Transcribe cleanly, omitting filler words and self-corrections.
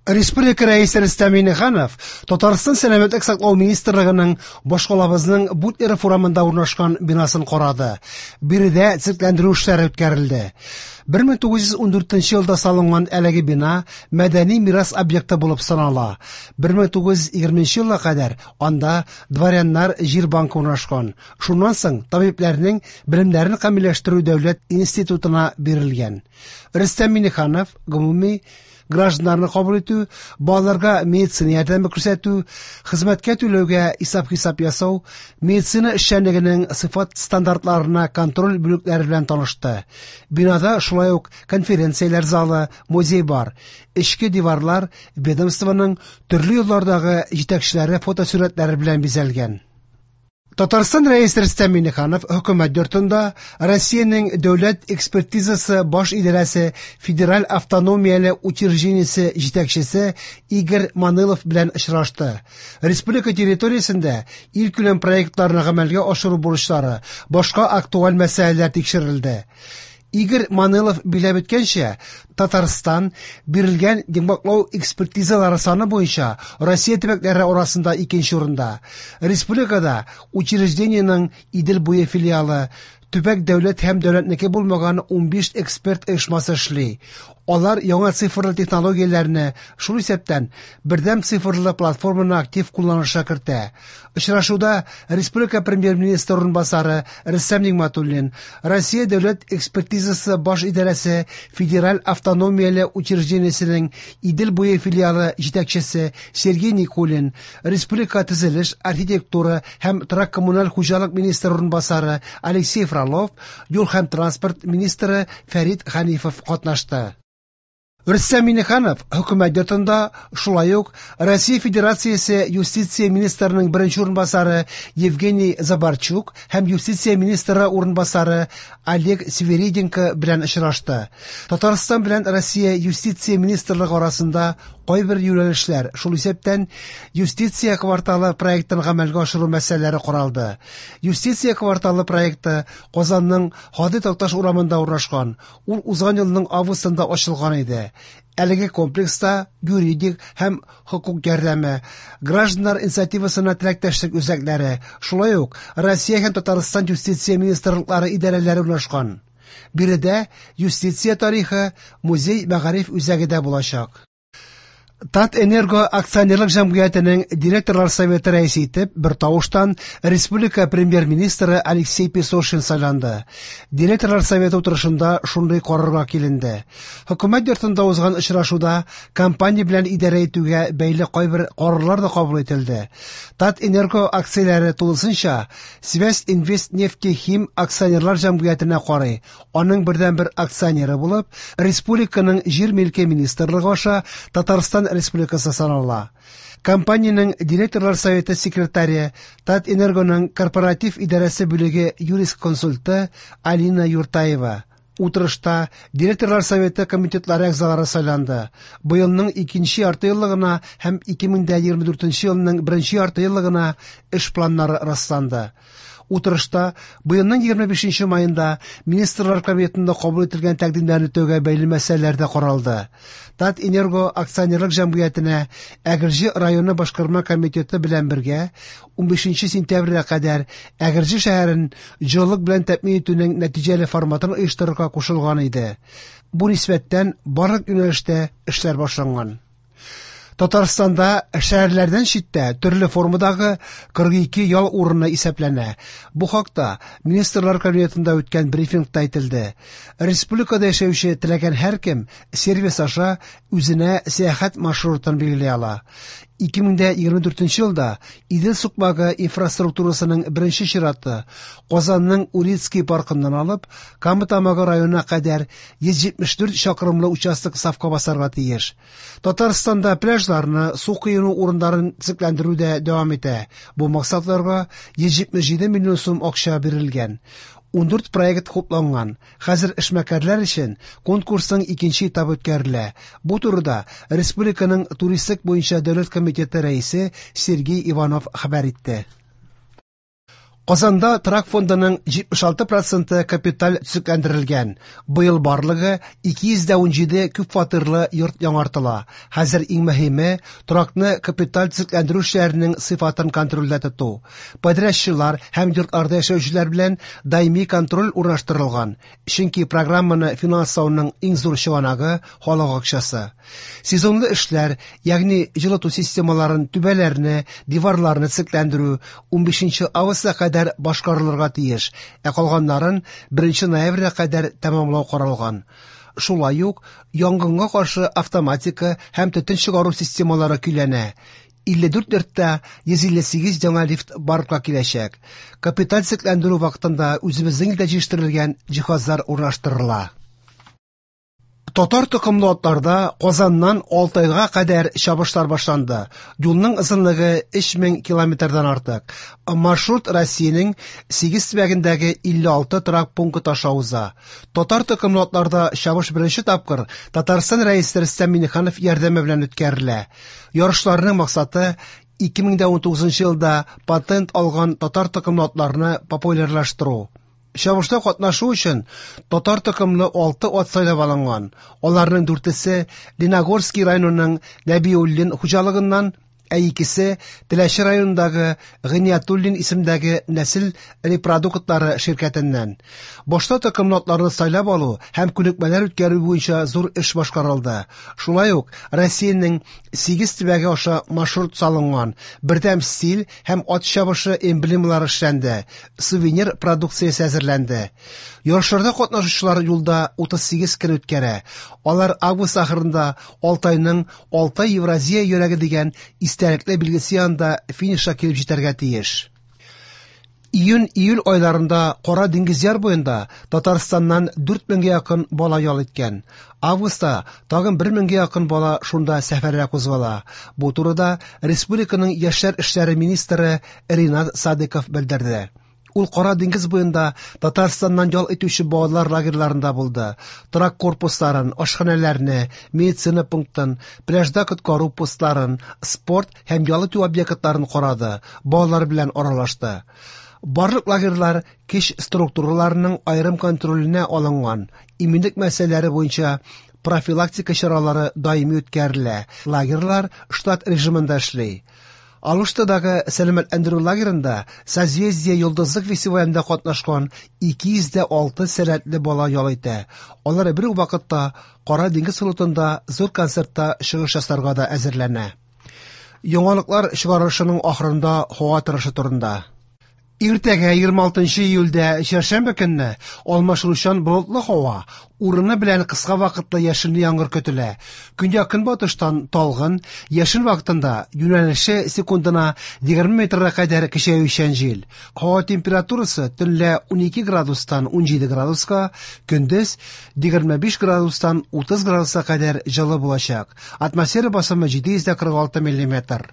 Республика Рәисе Рөстәм Миңнеханов Татарстан Сәламәтлек саклау министрлыгының башкалабызның Бутлеров урамында урнашкан бинасын карады. Биредә төзекләндерү эшләре үткәрелде. 1914 елда салынган әлеге бина мәдәни мирас объекты булып санала. 1920 елга кадәр анда дворяннар җир банкы урнашкан. Шуннан соң табибләрнең белемнәрен камилләштерү дәүләт институтына бирелгән. Рөстәм Миңнеханов гомуми гражданнарны кабул итү, балаларга медицина ярдәме күрсәтү, хезмәткә түләүгә исәп-хисап ясау, медицина эшчәнлегенең сыйфат стандартларына контроль бүлекләре белән танышты. Бинада шулай ук конференцияләр залы, музей бар. Эчке диварлар ведомствоның төрле еллардагы җитәкчеләре фотосурәтләре белән бизәлгән. Татарстан Рәисе Рөстәм Миңнеханов хөкүмәт йортында Россиянең дәүләт экспертизасы баш идарәсе федераль автономияле учреждениесе җитәкчесе Игорь Манылов белән очрашты. Республика территориясендә илкүләм проектларны гамәлгә ашыру бурычлары, башка актуаль мәсьәләләр тикшерелде. Игорь Манылов биләп үткәнчә, Татарстан бирелгән йомгаклау экспертизалары саны буенча Россия төбәкләре арасында икенче урында. Республикада учреждениенең Идел буе филиалы, төбәк дәүләт һәм дәүләтнеке булмаган 15 эксперт оешмасы эшли. Алар яңа цифрлы технологияләрне, шул исәптән бердәм цифрлы платформаны актив кулланышка кертә. Очрашуда республика премьер-министры урынбасары Рөстәм Нигъмәтуллин, Россия дәүләт экспертизасы баш идарәсе федераль автономияле учреждениесенең Идел буе филиалы җитәкчесе Сергей Никулин, республика төзелеш, архитектура һәм торак-коммуналь хуҗалык министры урынбасары Алексей Фролов, юл һәм транспорт министры Фәрит Хәнифов катнашты. Рөстәм Миңнеханов хөкүмәт йортында шулай ук Россия Федерациясе юстиция министрының беренче урынбасары Евгений Забарчук һәм юстиция министры урынбасары Олег Свириденко белән очрашты. Татарстан белән Россия юстиция министрлыгы арасында кайбер юнәлешләр, шул исәптән юстиция кварталы проектын гамәлгә ашыру мәсьәләләре каралды. Юстиция кварталы проекты Казанның Һади Такташ урамында урнашкан. Ул узган елның августында ачылган иде. Әлеге комплекста юридик һәм хокук ярдәме, гражданнар инициативасына теләктәшлек үзәкләре, шулай ук Россия һәм Татарстан юстиция министрлыклары идарәләре урнашкан. Биредә юстиция тарихы музей мәгариф үзәге дә булачак. Татэнерго акционерлык җәмгыятенең директорлар советы рәисе итеп бер тавыштан республика премьер-министры Алексей Песошин сайланды. Директорлар советы утырышында шундый карарга киленде. Хөкүмәт йортында узган очрашуда компания белән идарә итүгә бәйле кайбер карарлар да кабул ителде. Татэнерго акцияләре тулысынча Связь Инвест Нефтехим акционерлар җәмгыятенә карый. Аның бердәнбер акционеры булып, республиканың җир милке министрлыгы аша Татарстан Республикасы санала. Компаниянең директорлар советы секретаре, Татэнергоның корпоратив идарәсе бүлеге юрист-консульты Алина Юртаева. Утырышта директорлар советы комитетлары әгъзалары сайланды. Быелның икенче яртыеллыгына һәм 2024 елның беренче яртыеллыгына эш планнары расланды. Утырышта быелның 25 маенда Министрлар Кабинетында кабул ителгән тәкъдимнәрне үтәүгә бәйле мәсьәләләр дә каралды. Татэнерго акционерлык җәмгыятенә Әгерҗе районы башкарма комитеты белән бергә 15 сентябрьгә кадәр Әгерҗе шәһәрен җылылык белән тәэмин итүнең нәтиҗәле форматын оештырырга кушылган иде. Бу нисбәттән барлык юнәлештә эшләр башланган. Татарстанда шәһәрләрдән читтә төрле формадагы 42 ял урыны исәпләнә. Бу хакта Министрлар Кабинетында үткән брифингта әйтелде. Республикада яшәүче теләгән һәркем сервис аша үзенә сәяхәт маршрутын билгели ала. 2024 елда Идел сукмагы инфраструктурасының беренче чираты Казанның Урицкий паркыннан алып Кама Тамагы районына кадәр 174 чакрымлы участок сафка басарга тиеш. Татарстанда пляжларны, су коену урыннарын төзекләндерү дә дәвам итә. Бу максатларга 177 миллион сум акча бирелгән. 14 проект хупланган. Хәзер эшмәкәрләр өчен конкурсның икенче этабы үткәрелә. Бу турыда республиканың туристик буенча дәүләт комитеты рәисе Сергей Иванов хәбәр итте. Казанда торак фондының 76 проценты капиталь төзекләндерелгән. Быел барлыгы 217 күпфатирлы йорт яңартыла. Хәзер иң мөһиме торакны капиталь төзекләндерү эшләренең сыйфатын контрольдә тоту. Подрядчылар һәм йортларда яшәүчеләр белән даими контроль урнаштырылган. Чөнки программаны финанслауның иң зур чыганагы халык акчасы. Сезонлы эшләр, ягъни җылыту системаларын, түбәләрне, диварларны төзекләндерү 15 августка кадәр башкарылырга тиеш, ә калганнарын 1 ноябрьгә кадәр тәмамлау каралган. Шулай ук янгынга каршы автоматика һәм төтен чыгару системалары көйләнә. 54 йортта 158 яңа лифт барлыкка киләчәк. Капиталь төзекләндерү вакытында үзебезнең илдә җитештерелгән җиһазлар урнаштырыла. Татар токымлы атларда Казаннан Алтайга кадәр чабышлар башланды. Юлның озынлыгы 3000 километрдан артык. Маршрут Россиянең 8 төбәгендәге 56 торак пункты аша уза. Татар токымлы атларда чабыш беренче тапкыр Татарстан Рәисе Рөстәм Миңнеханов ярдәме белән үткәрелә. Ярышларның максаты 2019 елда патент алган татар токымлы атларны популярлаштыру. Чабышта катнашу өчен татар токымлы 6 ат сайлап алынган. Аларның дүртесе Леногорский районының Нәбиуллин хуҗалыгыннан, ә икесе Теләче районындагы Гыйниятуллин исемдәге нәсел репродуктлары ширкәтеннән. Башта токымлы атларны сайлап алу һәм күнекмәләр үткәрү буенча зур эш башкарылды. Шулай ук Россиянең 8 төбәге аша маршрут салынган, бердәм стиль һәм ат чабышы эмблемалары эшләнде, сувенир продукциясе әзерләнде. Ярышларда катнашучылар юлда 38 көн үткәрә. Алар август ахырында Алтайның Алтай Евразия йөрәге дигән истәлекле билгесе янында финишка килеп җитәргә тиеш. Июнь-июль айларында Кара диңгез яр буенда Татарстаннан 4000гә якын бала ял иткән. Августта тагын 1000гә якын бала шунда сәфәргә кузгала. Бу турыда республиканың яшьләр эшләре министры Ринат Садыков белдерде. Ул Кара диңгез буенда Татарстаннан ял итүче балалар лагерьларында булды. Торак корпусларын, ашханәләрне, медицина пунктын, пляжда коткару постларын, спорт һәм ял итү объектларын карады, балалар белән аралашты. Барлык лагерьлар көч структураларының аерым контроленә алынган. Иминлек мәсьәләләре буенча профилактика чаралары даими үткәрелә. Лагерьлар штат режимында эшли. Алуштадагы сәламәтләндерү лагерында Созвездие йолдызлык фестивалендә катнашкан 206 сәләтле бала ял итә. Алар бер үк вакытта Кара диңгез флотында зур концертта чыгыш ясарга да әзерләнә. Яңалыклар чыгарылышының ахырында һава торышы турында. Иртәгә 26 июльдә чәршәмбе көнне алмашынучан болытлы һава, урыны белән кыска вакытлы яшенле яңгыр көтелә. Көньяк-көнбатыштан талгын, яшен вакытында юнәлеше секундына 20 метрга кадәр көчәючән җил. Һава температурасы төнлә 12 градустан 17 градуска, көндез 25 градустан 30 градуска кадәр җылы булачак. Атмосфера басымы 746 миллиметр.